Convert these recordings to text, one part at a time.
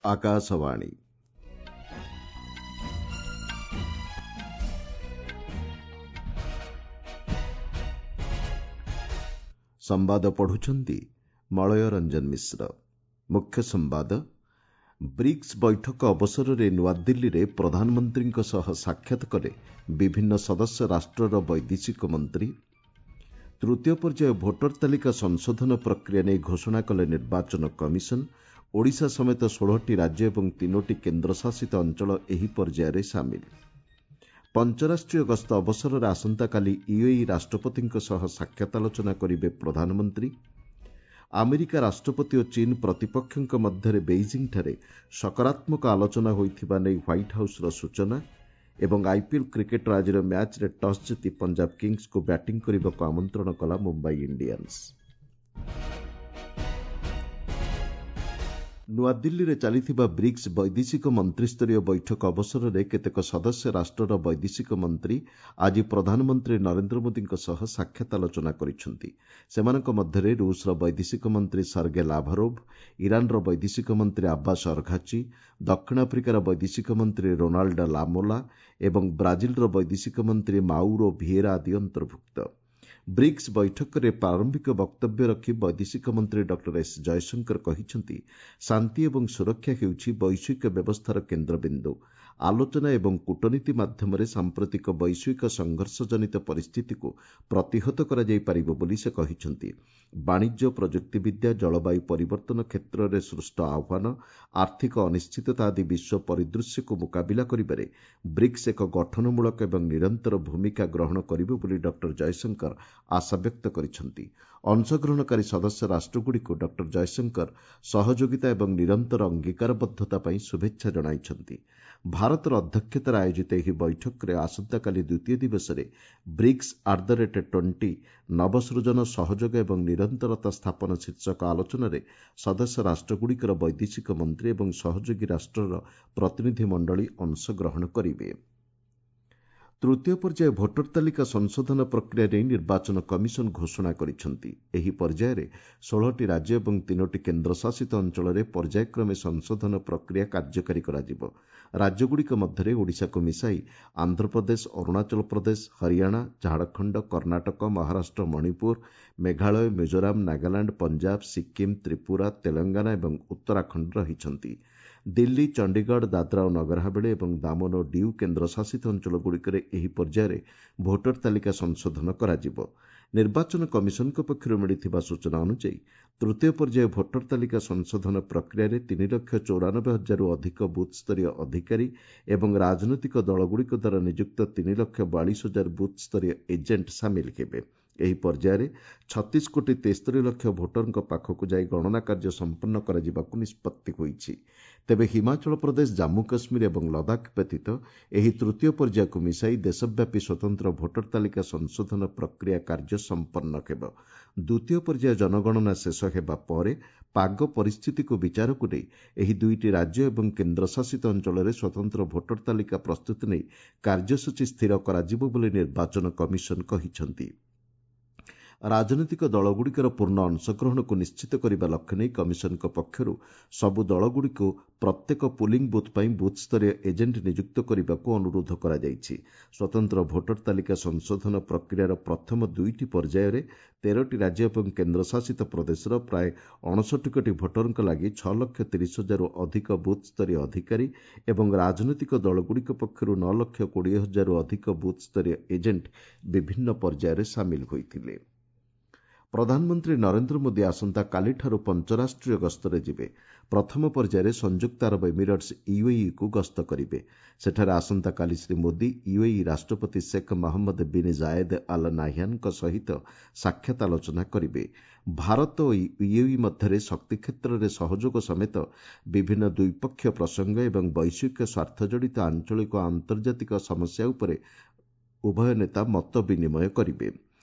ଆକାଶବାଣୀ। ସମ୍ବାଦ ପଢୁଛନ୍ତି ମଳୟ ରଞ୍ଜନ ମିଶ୍ର। ମୁଖ୍ୟ ସମ୍ବାଦ, ବ୍ରିକ୍ସ ବୈଠକ ଅବସରରେ ନୂଆଦିଲ୍ଲୀରେ ପ୍ରଧାନମନ୍ତ୍ରୀଙ୍କ ସହ ସାକ୍ଷାତ କଲେ ବିଭିନ୍ନ ସଦସ୍ୟ ରାଷ୍ଟ୍ରର ବୈଦେଶିକ ମନ୍ତ୍ରୀ। ତୃତୀୟ ପର୍ଯ୍ୟାୟ ଭୋଟର ତାଲିକା ସଂଶୋଧନ ପ୍ରକ୍ରିୟା ନେଇ ଘୋଷଣା କଲେ ନିର୍ବାଚନ କମିଶନ। ଓଡ଼ିଶା ସମେତ 16ଟି ରାଜ୍ୟ ଏବଂ 3ଟି କେନ୍ଦ୍ରଶାସିତ ଅଞ୍ଚଳ ଏହି ପର୍ଯ୍ୟାୟରେ ସାମିଲ। ପଞ୍ଚରାଷ୍ଟ୍ରୀୟ ଗସ୍ତ ଅବସରରେ ଆସନ୍ତାକାଲି ୟୁଏଇ ରାଷ୍ଟ୍ରପତିଙ୍କ ସହ ସାକ୍ଷାତ ଆଲୋଚନା କରିବେ ପ୍ରଧାନମନ୍ତ୍ରୀ। ଆମେରିକା ରାଷ୍ଟ୍ରପତି ଓ ଚୀନ ପ୍ରତିପକ୍ଷଙ୍କ ମଧ୍ୟରେ ବେଇଜିଂଠାରେ ସକାରାତ୍ମକ ଆଲୋଚନା ହୋଇଥିବା ନେଇ ହ୍ୱାଇଟ୍ ହାଉସ୍ର ସୂଚନା। ଏବଂ ଆଇପିଏଲ୍ କ୍ରିକେଟ୍ର ଆଜିର ମ୍ୟାଚ୍ରେ ଟସ୍ ଜିତି ପଞ୍ଜାବ କିଙ୍ଗ୍ସକୁ ବ୍ୟାଟିଂ କରିବାକୁ ଆମନ୍ତ୍ରଣ କଲା ମୁମ୍ବାଇ ଇଣ୍ଡିଆନ୍ସ। ନୂଆଦିଲ୍ଲୀରେ ଚାଲିଥିବା ବ୍ରିକ୍ସ ବୈଦେଶିକ ମନ୍ତ୍ରିସ୍ତରୀୟ ବୈଠକ ଅବସରରେ କେତେକ ସଦସ୍ୟ ରାଷ୍ଟ୍ରର ବୈଦେଶିକ ମନ୍ତ୍ରୀ ଆଜି ପ୍ରଧାନମନ୍ତ୍ରୀ ନରେନ୍ଦ୍ର ମୋଦିଙ୍କ ସହ ସାକ୍ଷାତ ଆଲୋଚନା କରିଛନ୍ତି। ସେମାନଙ୍କ ମଧ୍ୟରେ ରୁଷର ବୈଦେଶିକ ମନ୍ତ୍ରୀ ସର୍ଗେ ଲାଭାରୋଭ୍, ଇରାନର ବୈଦେଶିକ ମନ୍ତ୍ରୀ ଆବ୍ବାସ ଅର୍ଘାଚି, ଦକ୍ଷିଣ ଆଫ୍ରିକାର ବୈଦେଶିକ ମନ୍ତ୍ରୀ ରୋନାଲ୍ଡ ଲାମୋଲା ଏବଂ ବ୍ରାଜିଲର ବୈଦେଶିକ ମନ୍ତ୍ରୀ ମାଉରୋ ଭିଏରା ଆଦି ଅନ୍ତର୍ଭୁକ୍ତ। ବ୍ରିକ୍ସ ବୈଠକରେ ପ୍ରାରମ୍ଭିକ ବକ୍ତବ୍ୟ ରଖି ବୈଦେଶିକ ମନ୍ତ୍ରୀ ଡକ୍ଟର ଏସ୍ ଜୟଶଙ୍କର କହିଛନ୍ତି, ଶାନ୍ତି ଏବଂ ସୁରକ୍ଷା ହେଉଛି ବୈଶ୍ୱିକ ବ୍ୟବସ୍ଥାର କେନ୍ଦ୍ରବିନ୍ଦୁ। ଆଲୋଚନା ଏବଂ କୂଟନୀତି ମାଧ୍ୟମରେ ସାମ୍ପ୍ରତିକ ବୈଶ୍ୱିକ ସଂଘର୍ଷଜନିତ ପରିସ୍ଥିତିକୁ ପ୍ରତିହତ କରାଯାଇପାରିବ ବୋଲି ସେ କହିଛନ୍ତି। ବାଣିଜ୍ୟ, ପ୍ରଯୁକ୍ତିବିଦ୍ୟା, ଜଳବାୟୁ ପରିବର୍ତ୍ତନ କ୍ଷେତ୍ରରେ ସୃଷ୍ଟ ଆହ୍ୱାନ, ଆର୍ଥିକ ଅନିଶ୍ଚିତତା ଆଦି ବିଶ୍ୱ ପରିଦୃଶ୍ୟକୁ ମୁକାବିଲା କରିବାରେ ବ୍ରିକ୍ସ ଏକ ଗଠନମୂଳକ ଏବଂ ନିରନ୍ତର ଭୂମିକା ଗ୍ରହଣ କରିବ ବୋଲି ଡକ୍ଟର ଜୟଶଙ୍କର ଆଶାବ୍ୟକ୍ତ କରିଛନ୍ତି। ଅଂଶଗ୍ରହଣକାରୀ ସଦସ୍ୟ ରାଷ୍ଟ୍ରଗୁଡ଼ିକୁ ଡକ୍ଟର ଜୟଶଙ୍କର ସହଯୋଗିତା ଏବଂ ନିରନ୍ତର ଅଙ୍ଗୀକାରବଦ୍ଧତା ପାଇଁ ଶୁଭେଚ୍ଛା ଜଣାଇଛନ୍ତି। ଭାରତର ଅଧ୍ୟକ୍ଷତାରେ ଆୟୋଜିତ ଏହି ବୈଠକରେ ଆସନ୍ତାକାଲି ଦ୍ୱିତୀୟ ଦିବସରେ ବ୍ରିକ୍ସ ଆଟ୍ the rate 20 ନବସୃଜନ, ସହଯୋଗ ଏବଂ ନିରନ୍ତରତା ସ୍ଥାପନ ଶୀର୍ଷକ ଆଲୋଚନାରେ ସଦସ୍ୟ ରାଷ୍ଟ୍ରଗୁଡ଼ିକର ବୈଦେଶିକ ମନ୍ତ୍ରୀ ଏବଂ ସହଯୋଗୀ ରାଷ୍ଟ୍ରର ପ୍ରତିନିଧିମଣ୍ଡଳୀ ଅଂଶଗ୍ରହଣ କରିବେ। ତୃତୀୟ ପର୍ଯ୍ୟାୟ ଭୋଟର ତାଲିକା ସଂଶୋଧନ ପ୍ରକ୍ରିୟା ନେଇ ନିର୍ବାଚନ କମିଶନ ଘୋଷଣା କରିଛନ୍ତି। ଏହି ପର୍ଯ୍ୟାୟରେ 16ଟି ରାଜ୍ୟ ଏବଂ 3ଟି କେନ୍ଦ୍ରଶାସିତ ଅଞ୍ଚଳରେ ପର୍ଯ୍ୟାୟକ୍ରମେ ସଂଶୋଧନ ପ୍ରକ୍ରିୟା କାର୍ଯ୍ୟକାରୀ କରାଯିବ। ରାଜ୍ୟଗୁଡ଼ିକ ମଧ୍ୟରେ ଓଡ଼ିଶାକୁ ମିଶାଇ ଆନ୍ଧ୍ରପ୍ରଦେଶ, ଅରୁଣାଚଳ ପ୍ରଦେଶ, ହରିୟାଣା, ଝାଡ଼ଖଣ୍ଡ, କର୍ଣ୍ଣାଟକ, ମହାରାଷ୍ଟ୍ର, ମଣିପୁର, ମେଘାଳୟ, ମିଜୋରାମ, ନାଗାଲାଣ୍ଡ, ପଞ୍ଜାବ, ସିକ୍କିମ୍, ତ୍ରିପୁରା, ତେଲଙ୍ଗାନା ଏବଂ ଉତ୍ତରାଖଣ୍ଡ ରହିଛନ୍ତି। ଦିଲ୍ଲୀ, ଚଣ୍ଡିଗଡ଼, ଦାଦ୍ରା ଓ ନଗର ହାବେଳି ଏବଂ ଦାମନ ଓ ଡିଉ କେନ୍ଦ୍ରଶାସିତ ଅଞ୍ଚଳଗୁଡ଼ିକରେ ଏହି ପର୍ଯ୍ୟାୟରେ ଭୋଟର ତାଲିକା ସଂଶୋଧନ କରାଯିବ। ନିର୍ବାଚନ କମିଶନଙ୍କ ପକ୍ଷରୁ ମିଳିଥିବା ସୂଚନା ଅନୁଯାୟୀ ତୃତୀୟ ପର୍ଯ୍ୟାୟ ଭୋଟର ତାଲିକା ସଂଶୋଧନ ପ୍ରକ୍ରିୟାରେ 3,94,000ରୁ ଅଧିକ ବୁଥ୍ସ୍ତରୀୟ ଅଧିକାରୀ ଏବଂ ରାଜନୈତିକ ଦଳଗୁଡ଼ିକ ଦ୍ୱାରା ନିଯୁକ୍ତ 3,42,000 ବୁଥ୍ସ୍ତରୀୟ ଏଜେଣ୍ଟ ସାମିଲ ହେବେ। ଏହି ପର୍ଯ୍ୟାୟରେ 36 କୋଟି 73 ଲକ୍ଷ ଭୋଟରଙ୍କ ପାଖକୁ ଯାଇ ଗଣନା କାର୍ଯ୍ୟ ସମ୍ପନ୍ନ କରାଯିବାକୁ ନିଷ୍ପତ୍ତି ହୋଇଛି। ତେବେ ହିମାଚଳ ପ୍ରଦେଶ, ଜାମ୍ମୁ କାଶ୍ମୀର ଏବଂ ଲଦାଖ ବ୍ୟତୀତ ଏହି ତୃତୀୟ ପର୍ଯ୍ୟାୟକୁ ମିଶାଇ ଦେଶବ୍ୟାପୀ ସ୍ୱତନ୍ତ୍ର ଭୋଟର ତାଲିକା ସଂଶୋଧନ ପ୍ରକ୍ରିୟା କାର୍ଯ୍ୟ ସମ୍ପନ୍ନ ହେବ। ଦ୍ୱିତୀୟ ପର୍ଯ୍ୟାୟ ଜନଗଣନା ଶେଷ ହେବା ପରେ ପାଗ ପରିସ୍ଥିତିକୁ ବିଚାରକୁ ନେଇ ଏହି ଦୁଇଟି ରାଜ୍ୟ ଏବଂ କେନ୍ଦ୍ରଶାସିତ ଅଞ୍ଚଳରେ ସ୍ୱତନ୍ତ୍ର ଭୋଟର ତାଲିକା ପ୍ରସ୍ତୁତି ନେଇ କାର୍ଯ୍ୟସୂଚୀ ସ୍ଥିର କରାଯିବ ବୋଲି ନିର୍ବାଚନ କମିଶନ କହିଛନ୍ତି। ରାଜନୈତିକ ଦଳଗୁଡ଼ିକର ପୂର୍ଣ୍ଣ ଅଂଶଗ୍ରହଣକୁ ନିଶ୍ଚିତ କରିବା ଲକ୍ଷ୍ୟ ନେଇ କମିଶନଙ୍କ ପକ୍ଷରୁ ସବୁ ଦଳଗୁଡ଼ିକୁ ପ୍ରତ୍ୟେକ ପୁଲିଂ ବୁଥ୍ ପାଇଁ ବୁଥ୍ସ୍ତରୀୟ ଏଜେଣ୍ଟ ନିଯୁକ୍ତ କରିବାକୁ ଅନୁରୋଧ କରାଯାଇଛି। ସ୍ୱତନ୍ତ୍ର ଭୋଟର ତାଲିକା ସଂଶୋଧନ ପ୍ରକ୍ରିୟାର ପ୍ରଥମ ଦୁଇଟି ପର୍ଯ୍ୟାୟରେ 13ଟି ରାଜ୍ୟ ଏବଂ କେନ୍ଦ୍ରଶାସିତ ପ୍ରଦେଶର ପ୍ରାୟ 59 କୋଟି ଭୋଟରଙ୍କ ଲାଗି 6,30,000ରୁ ଅଧିକ ବୁଥ୍ସ୍ତରୀୟ ଅଧିକାରୀ ଏବଂ ରାଜନୈତିକ ଦଳଗୁଡ଼ିକ ପକ୍ଷରୁ 9,20,000ରୁ ଅଧିକ ବୁଥ୍ସ୍ତରୀୟ ଏଜେଣ୍ଟ ବିଭିନ୍ନ ପର୍ଯ୍ୟାୟରେ ସାମିଲ ହୋଇଥିଲେ। ପ୍ରଧାନମନ୍ତ୍ରୀ ନରେନ୍ଦ୍ର ମୋଦି ଆସନ୍ତାକାଲିଠାରୁ ପଞ୍ଚରାଷ୍ଟ୍ରୀୟ ଗସ୍ତରେ ଯିବେ। ପ୍ରଥମ ପର୍ଯ୍ୟାୟରେ ସଂଯୁକ୍ତ ଆରବ ଏମିରେଟ୍ସ ୟୁଏଇକୁ ଗସ୍ତ କରିବେ। ସେଠାରେ ଆସନ୍ତାକାଲି ଶ୍ରୀ ମୋଦି ୟୁଏଇ ରାଷ୍ଟ୍ରପତି Sheikh Mohammed bin Zayed Al ନାହ୍ୟାନ୍ଙ୍କ ସହିତ ସାକ୍ଷାତ ଆଲୋଚନା କରିବେ। ଭାରତ ଓ ୟୁଏଇ ମଧ୍ୟରେ ଶକ୍ତି କ୍ଷେତ୍ରରେ ସହଯୋଗ ସମେତ ବିଭିନ୍ନ ଦ୍ୱିପକ୍ଷୀୟ ପ୍ରସଙ୍ଗ ଏବଂ ବୈଶ୍ୱିକ ସ୍ୱାର୍ଥଜଡ଼ିତ ଆଞ୍ଚଳିକ ଓ ଆନ୍ତର୍ଜାତିକ ସମସ୍ୟା ଉପରେ ଉଭୟ ନେତା ମତ ବିନିମୟ କରିବେ।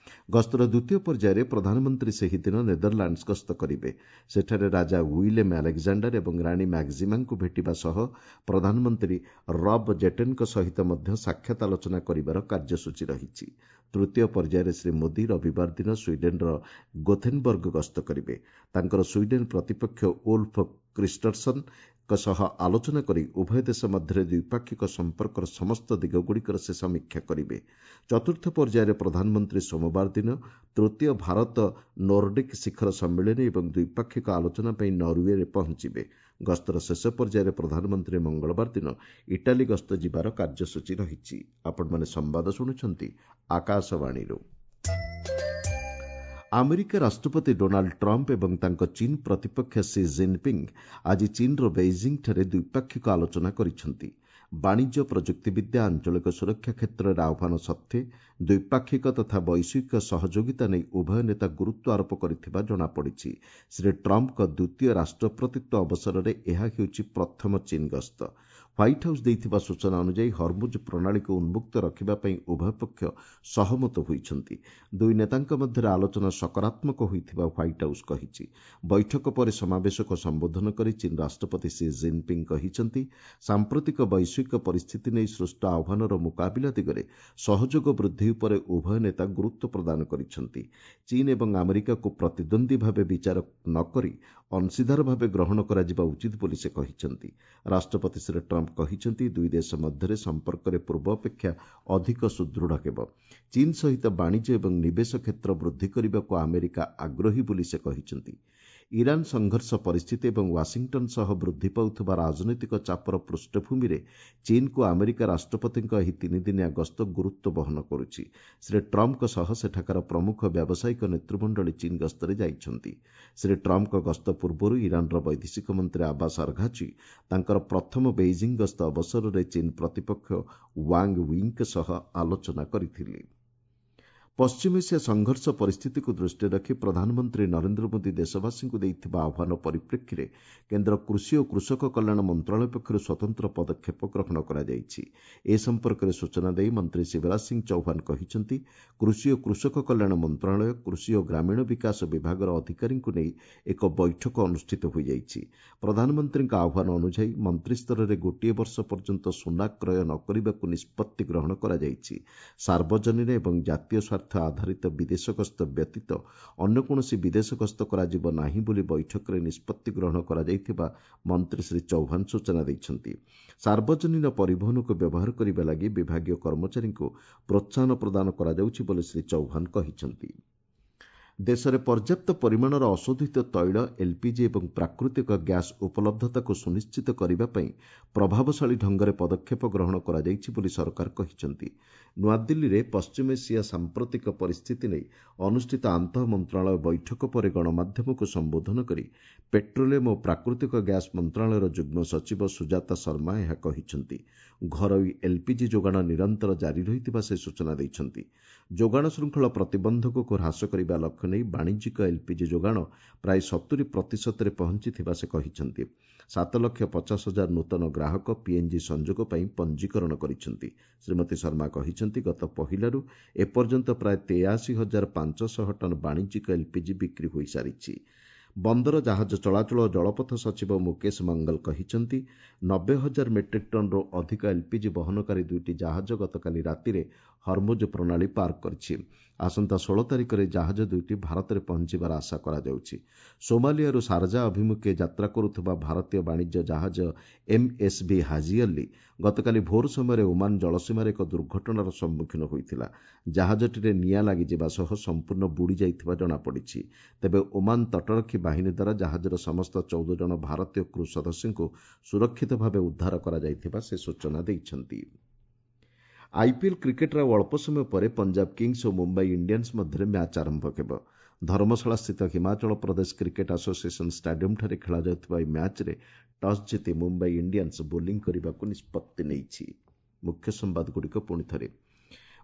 ଗସ୍ତର ଦ୍ୱିତୀୟ ପର୍ଯ୍ୟାୟରେ ପ୍ରଧାନମନ୍ତ୍ରୀ ସେହିଦିନ ନେଦରଲାଣ୍ଡସ୍ ଗସ୍ତ କରିବେ। ସେଠାରେ ରାଜା ୱିଲେମ୍ ଆଲେକ୍ଜାଣ୍ଡାର ଏବଂ ରାଣୀ ମ୍ୟାକ୍ଜିମାଙ୍କୁ ଭେଟିବା ସହ ପ୍ରଧାନମନ୍ତ୍ରୀ ରବ୍ ଜେଟେନ୍ଙ୍କ ସହିତ ମଧ୍ୟ ସାକ୍ଷାତ ଆଲୋଚନା କରିବାର କାର୍ଯ୍ୟସୂଚୀ ରହିଛି। ତୃତୀୟ ପର୍ଯ୍ୟାୟରେ ଶ୍ରୀ ମୋଦି ରବିବାର ଦିନ ସ୍ୱିଡେନ୍ର ଗୋଥେନବର୍ଗ ଗସ୍ତ କରିବେ। ତାଙ୍କର ସ୍ୱିଡେନ୍ ପ୍ରତିପକ୍ଷ ଓଲ୍ଫ କ୍ରିଷ୍ଟରସନ୍ ସହ ଆଲୋଚନା କରି ଉଭୟ ଦେଶ ମଧ୍ୟରେ ଦ୍ୱିପାକ୍ଷିକ ସମ୍ପର୍କର ସମସ୍ତ ଦିଗଗୁଡ଼ିକର ସେ ସମୀକ୍ଷା କରିବେ। ଚତୁର୍ଥ ପର୍ଯ୍ୟାୟରେ ପ୍ରଧାନମନ୍ତ୍ରୀ ସୋମବାର ଦିନ ତୃତୀୟ ଭାରତ ନୋର୍ଡିକ୍ ଶିଖର ସମ୍ମିଳନୀ ଏବଂ ଦ୍ୱିପାକ୍ଷିକ ଆଲୋଚନା ପାଇଁ ନରୱେରେ ପହଞ୍ଚିବେ। ଗସ୍ତର ଶେଷ ପର୍ଯ୍ୟାୟରେ ପ୍ରଧାନମନ୍ତ୍ରୀ ମଙ୍ଗଳବାର ଦିନ ଇଟାଲୀ ଗସ୍ତ ଯିବାର କାର୍ଯ୍ୟସୂଚୀ ରହିଛି। ଆପଣମାନେ ସମ୍ବାଦ ଶୁଣୁଛନ୍ତି ଆକାଶବାଣୀରୁ। ଆମେରିକା ରାଷ୍ଟ୍ରପତି ଡୋନାଲ୍ଡ ଟ୍ରମ୍ପ ଏବଂ ତାଙ୍କ ଚୀନ୍ ପ୍ରତିପକ୍ଷ ସି ଜିନ୍ପିଙ୍ଗ୍ ଆଜି ଚୀନ୍ର ବେଇଜିଂଠାରେ ଦ୍ୱିପାକ୍ଷିକ ଆଲୋଚନା କରିଛନ୍ତି। ବାଣିଜ୍ୟ, ପ୍ରଯୁକ୍ତିବିଦ୍ୟା, ଆଞ୍ଚଳିକ ସୁରକ୍ଷା କ୍ଷେତ୍ରରେ ଆହ୍ୱାନ ସତ୍ତ୍ୱେ ଦ୍ୱିପାକ୍ଷିକ ତଥା ବୈଶ୍ୱିକ ସହଯୋଗିତା ନେଇ ଉଭୟ ନେତା ଗୁରୁତ୍ୱ ଆରୋପ କରିଥିବା ଜଣାପଡ଼ିଛି। ଶ୍ରୀ ଟ୍ରମ୍ପଙ୍କ ଦ୍ୱିତୀୟ ରାଷ୍ଟ୍ରପତିତ୍ୱ ଅବସରରେ ଏହା ହେଉଛି ପ୍ରଥମ ଚୀନ୍ ଗସ୍ତ। ହ୍ୱାଇଟ୍ ହାଉସ୍ ଦେଇଥିବା ସୂଚନା ଅନୁଯାୟୀ ହରମୁଜ୍ ପ୍ରଣାଳୀକୁ ଉନ୍ମୁକ୍ତ ରଖିବା ପାଇଁ ଉଭୟ ପକ୍ଷ ସହମତ ହୋଇଛନ୍ତି। ଦୁଇ ନେତାଙ୍କ ମଧ୍ୟରେ ଆଲୋଚନା ସକାରାତ୍ମକ ହୋଇଥିବା ହ୍ୱାଇଟ୍ ହାଉସ୍ କହିଛି। ବୈଠକ ପରେ ସମାବେଶକୁ ସମ୍ବୋଧନ କରି ଚୀନ୍ ରାଷ୍ଟ୍ରପତି ସି ଜିନ୍ପିଙ୍ଗ୍ କହିଛନ୍ତି, ସାମ୍ପ୍ରତିକ ବୈଶ୍ୱିକ ପରିସ୍ଥିତି ନେଇ ସୃଷ୍ଟ ଆହ୍ୱାନର ମୁକାବିଲା ଦିଗରେ ସହଯୋଗ ବୃଦ୍ଧି ଉପରେ ଉଭୟ ନେତା ଗୁରୁତ୍ୱ ପ୍ରଦାନ କରିଛନ୍ତି। ଚୀନ୍ ଏବଂ ଆମେରିକାକୁ ପ୍ରତିଦ୍ୱନ୍ଦ୍ୱୀ ଭାବେ ବିଚାର ନ କରି ଅଂଶୀଦାର ଭାବେ ଗ୍ରହଣ କରାଯିବା ଉଚିତ ବୋଲି ସେ କହିଛନ୍ତି। ରାଷ୍ଟ୍ରପତି ଶ୍ରୀ ଟ୍ରମ୍ପ କହିଛନ୍ତି, ଦୁଇ ଦେଶ ମଧ୍ୟରେ ସମ୍ପର୍କରେ ପୂର୍ବ ଅପେକ୍ଷା ଅଧିକ ସୁଦୃଢ଼ ହେବ। ଚୀନ୍ ସହିତ ବାଣିଜ୍ୟ ଏବଂ ନିବେଶ କ୍ଷେତ୍ର ବୃଦ୍ଧି କରିବାକୁ ଆମେରିକା ଆଗ୍ରହୀ ବୋଲି ସେ କହିଛନ୍ତି। ଇରାନ୍ ସଂଘର୍ଷ ପରିସ୍ଥିତି ଏବଂ ୱାଶିଂଟନ୍ ସହ ବୃଦ୍ଧି ପାଉଥିବା ରାଜନୈତିକ ଚାପର ପୃଷ୍ଠଭୂମିରେ ଚୀନ୍କୁ ଆମେରିକା ରାଷ୍ଟ୍ରପତିଙ୍କ ଏହି ତିନିଦିନିଆ ଗସ୍ତ ଗୁରୁତ୍ୱ ବହନ କରୁଛି। ଶ୍ରୀ ଟ୍ରମ୍ପଙ୍କ ସହ ସେଠାକାର ପ୍ରମୁଖ ବ୍ୟାବସାୟିକ ନେତୃମଣ୍ଡଳୀ ଚୀନ୍ ଗସ୍ତରେ ଯାଇଛନ୍ତି। ଶ୍ରୀ ଟ୍ରମ୍ପଙ୍କ ଗସ୍ତ ପୂର୍ବରୁ ଇରାନ୍ର ବୈଦେଶିକ ମନ୍ତ୍ରୀ ଆବାସ ଅର୍ଘାଚି ତାଙ୍କର ପ୍ରଥମ ବେଇଜିଂ ଗସ୍ତ ଅବସରରେ ଚୀନ୍ ପ୍ରତିପକ୍ଷ ୱାଙ୍ଗ୍ ୱିଙ୍କ ସହ ଆଲୋଚନା କରିଥିଲେ। ପଶ୍ଚିମ ଏସିଆ ସଂଘର୍ଷ ପରିସ୍ଥିତିକୁ ଦୃଷ୍ଟିରେ ରଖି ପ୍ରଧାନମନ୍ତ୍ରୀ ନରେନ୍ଦ୍ର ମୋଦି ଦେଶବାସୀଙ୍କୁ ଦେଇଥିବା ଆହ୍ୱାନ ପରିପ୍ରେକ୍ଷୀରେ କେନ୍ଦ୍ର କୃଷି ଓ କୃଷକ କଲ୍ୟାଣ ମନ୍ତ୍ରଣାଳୟ ପକ୍ଷରୁ ସ୍ୱତନ୍ତ୍ର ପଦକ୍ଷେପ ଗ୍ରହଣ କରାଯାଇଛି। ଏ ସମ୍ପର୍କରେ ସୂଚନା ଦେଇ ମନ୍ତ୍ରୀ ଶିବରାଜ ସିଂ ଚୌହାନ କହିଛନ୍ତି, କୃଷି ଓ କୃଷକ କଲ୍ୟାଣ ମନ୍ତ୍ରଣାଳୟ, କୃଷି ଓ ଗ୍ରାମୀଣ ବିକାଶ ବିଭାଗର ଅଧିକାରୀଙ୍କୁ ନେଇ ଏକ ବୈଠକ ଅନୁଷ୍ଠିତ ହୋଇଯାଇଛି। ପ୍ରଧାନମନ୍ତ୍ରୀଙ୍କ ଆହ୍ୱାନ ଅନୁଯାୟୀ ମନ୍ତ୍ରିସ୍ତରରେ ଗୋଟିଏ ବର୍ଷ ପର୍ଯ୍ୟନ୍ତ ସୁନା କ୍ରୟ ନ କରିବାକୁ ନିଷ୍ପତ୍ତି ଗ୍ରହଣ କରାଯାଇଛି। ସାର୍ବଜନୀନ ଏବଂ ଜାତୀୟ ସ୍ୱାର୍ଥ ଆଧାରିତ ବିଦେଶ ଗସ୍ତ ବ୍ୟତୀତ ଅନ୍ୟ କୌଣସି ବିଦେଶ ଗସ୍ତ କରାଯିବ ନାହିଁ ବୋଲି ବୈଠକରେ ନିଷ୍ପତ୍ତି ଗ୍ରହଣ କରାଯାଇଥିବା ମନ୍ତ୍ରୀ ଶ୍ରୀ ଚୌହାନ ସୂଚନା ଦେଇଛନ୍ତି। ସାର୍ବଜନୀନ ପରିବହନକୁ ବ୍ୟବହାର କରିବା ଲାଗି ବିଭାଗୀୟ କର୍ମଚାରୀଙ୍କୁ ପ୍ରୋତ୍ସାହନ ପ୍ରଦାନ କରାଯାଉଛି ବୋଲି ଶ୍ରୀ ଚୌହାନ କହିଛନ୍ତି। ଦେଶରେ ପର୍ଯ୍ୟାପ୍ତ ପରିମାଣର ଅଶୋଧିତ ତୈଳ, ଏଲ୍ପିଜି ଏବଂ ପ୍ରାକୃତିକ ଗ୍ୟାସ୍ ଉପଲବ୍ଧତାକୁ ସୁନିଶ୍ଚିତ କରିବା ପାଇଁ ପ୍ରଭାବଶାଳୀ ଢଙ୍ଗରେ ପଦକ୍ଷେପ ଗ୍ରହଣ କରାଯାଇଛି ବୋଲି ସରକାର କହିଛନ୍ତି। ନୂଆଦିଲ୍ଲୀରେ ପଶ୍ଚିମ ଏସିଆ ସାମ୍ପ୍ରତିକ ପରିସ୍ଥିତି ନେଇ ଅନୁଷ୍ଠିତ ଆନ୍ତଃ ମନ୍ତ୍ରଣାଳୟ ବୈଠକ ପରେ ଗଣମାଧ୍ୟମକୁ ସମ୍ବୋଧନ କରି ପେଟ୍ରୋଲିୟମ୍ ଓ ପ୍ରାକୃତିକ ଗ୍ୟାସ୍ ମନ୍ତ୍ରଣାଳୟର ଯୁଗ୍ମ ସଚିବ ସୁଜାତା ଶର୍ମା ଏହା କହିଛନ୍ତି। ଘରୋଇ ଏଲ୍ପିଜି ଯୋଗାଣ ନିରନ୍ତର ଜାରି ରହିଥିବା ସେ ସୂଚନା ଦେଇଛନ୍ତି। ଯୋଗାଣ ଶୃଙ୍ଖଳ ପ୍ରତିବନ୍ଧକକୁ ହ୍ରାସ କରିବା ଲକ୍ଷ୍ୟ ନେଇ ବାଣିଜ୍ୟିକ ଏଲ୍ପିଜି ଯୋଗାଣ ପ୍ରାୟ 70%ରେ ପହଞ୍ଚିଥିବା ସେ କହିଛନ୍ତି। 7,50,000 ନୂତନ ଗ୍ରାହକ ପିଏନ୍ଜି ସଂଯୋଗ ପାଇଁ ପଞ୍ଜୀକରଣ କରିଛନ୍ତି। ଶ୍ରୀମତୀ ଶର୍ମା କହିଛନ୍ତି, ଗତ ପହିଲାରୁ ଏପର୍ଯ୍ୟନ୍ତ ପ୍ରାୟ 83,500 ଟନ୍ ବାଣିଜ୍ୟିକ ଏଲ୍ପିଜି ବିକ୍ରି ହୋଇସାରିଛି। ବନ୍ଦର, ଜାହାଜ ଚଳାଚଳ ଓ ଜଳପଥ ସଚିବ ମୁକେଶ ମଙ୍ଗଲ କହିଛନ୍ତି, 90,000 ମେଟ୍ରିକ୍ ଟନ୍ରୁ ଅଧିକ ଏଲ୍ପିଜି ବହନକାରୀ ଦୁଇଟି ଜାହାଜ ଗତକାଲି ରାତିରେ ହରମୁଜ ପ୍ରଣାଳୀ ପାର କରିଛି। ଆସନ୍ତା 16 ତାରିଖରେ ଜାହାଜ ଦୁଇଟି ଭାରତରେ ପହଞ୍ଚିବାର ଆଶା କରାଯାଉଛି। ସୋମାଲିଆରୁ ସାରଜା ଅଭିମୁଖେ ଯାତ୍ରା କରୁଥିବା ଭାରତୀୟ ବାଣିଜ୍ୟ ଜାହାଜ ଏମ୍ଏସ୍ଭି ହାଜି ଅଲ୍ଲୀ ଗତକାଲି ଭୋର ସମୟରେ ଓମାନ ଜଳସୀମାରେ ଏକ ଦୁର୍ଘଟଣାର ସମ୍ମୁଖୀନ ହୋଇଥିଲା। ଜାହାଜଟିରେ ନିଆଁ ଲାଗିଯିବା ସହ ସମ୍ପୂର୍ଣ୍ଣ ବୁଡ଼ି ଯାଇଥିବା ଜଣାପଡ଼ିଛି। ତେବେ ଓମାନ ତଟରକ୍ଷୀ ବାହିନୀ ଦ୍ୱାରା ଜାହାଜର ସମସ୍ତ 14 ଜଣ ଭାରତୀୟ କ୍ରୁ ସଦସ୍ୟଙ୍କୁ ସୁରକ୍ଷିତ ଭାବେ ଉଦ୍ଧାର କରାଯାଇଥିବା ସେ ସୂଚନା ଦେଇଛନ୍ତି। ଆଇପିଏଲ୍ କ୍ରିକେଟ୍ର ଆଉ ଅଳ୍ପ ସମୟ ପରେ ପଞ୍ଜାବ କିଙ୍ଗସ୍ ଓ ମୁମ୍ବାଇ ଇଣ୍ଡିଆନ୍ସ ମଧ୍ୟରେ ମ୍ୟାଚ୍ ଆରମ୍ଭ ହେବ। ଧର୍ମଶାଳାସ୍ଥିତ ହିମାଚଳ ପ୍ରଦେଶ କ୍ରିକେଟ୍ ଆସୋସିଏସନ୍ ଷ୍ଟାଡିୟମ୍ଠାରେ ଖେଳାଯାଉଥିବା ଏହି ମ୍ୟାଚ୍ରେ ଟସ୍ ଜିତି ମୁମ୍ବାଇ ଇଣ୍ଡିଆନ୍ସ ବୋଲିଂ କରିବାକୁ ନିଷ୍ପତ୍ତି ନେଇଛି। ମୁଖ୍ୟ ସମ୍ବାଦଗୁଡ଼ିକ ପୁଣି ଥରେ।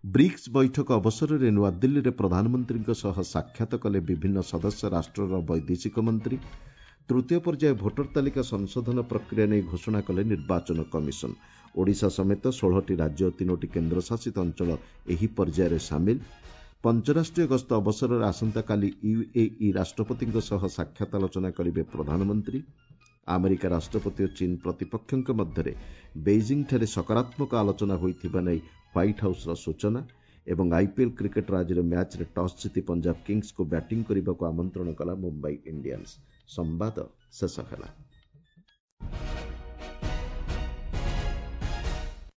ବ୍ରିକ୍ସ ବୈଠକ ଅବସରରେ ନୂଆଦିଲ୍ଲୀରେ ପ୍ରଧାନମନ୍ତ୍ରୀଙ୍କ ସହ ସାକ୍ଷାତ କଲେ ବିଭିନ୍ନ ସଦସ୍ୟ ରାଷ୍ଟ୍ରର ବୈଦେଶିକ ମନ୍ତ୍ରୀ। ତୃତୀୟ ପର୍ଯ୍ୟାୟ ଭୋଟର ତାଲିକା ସଂଶୋଧନ ପ୍ରକ୍ରିୟା ନେଇ ଘୋଷଣା କଲେ ନିର୍ବାଚନ କମିଶନ। ଓଡ଼ିଶା ସମେତ 16ଟି ରାଜ୍ୟ ଓ 3ଟି କେନ୍ଦ୍ରଶାସିତ ଅଞ୍ଚଳ ଏହି ପର୍ଯ୍ୟାୟରେ ସାମିଲ। ପଞ୍ଚରାଷ୍ଟ୍ରୀୟ ଗସ୍ତ ଅବସରରେ ଆସନ୍ତାକାଲି ୟୁଏଇ ରାଷ୍ଟ୍ରପତିଙ୍କ ସହ ସାକ୍ଷାତ ଆଲୋଚନା କରିବେ ପ୍ରଧାନମନ୍ତ୍ରୀ। ଆମେରିକା ରାଷ୍ଟ୍ରପତି ଓ ଚୀନ୍ ପ୍ରତିପକ୍ଷଙ୍କ ମଧ୍ୟରେ ବେଇଜିଂଠାରେ ସକାରାତ୍ମକ ଆଲୋଚନା ହୋଇଥିବା ନେଇ ହ୍ୱାଇଟ୍ ହାଉସ୍ର ସୂଚନା। ଏବଂ ଆଇପିଏଲ୍ କ୍ରିକେଟ୍ର ଆଜିର ମ୍ୟାଚ୍ରେ ଟସ୍ ଜିତି ପଞ୍ଜାବ କିଙ୍ଗସ୍କୁ ବ୍ୟାଟିଂ କରିବାକୁ ଆମନ୍ତ୍ରଣ କଲା ମୁମ୍ବାଇ ଇଣ୍ଡିଆନ୍ସ। ସମ୍ବାଦ ଶେଷ ହେଲା।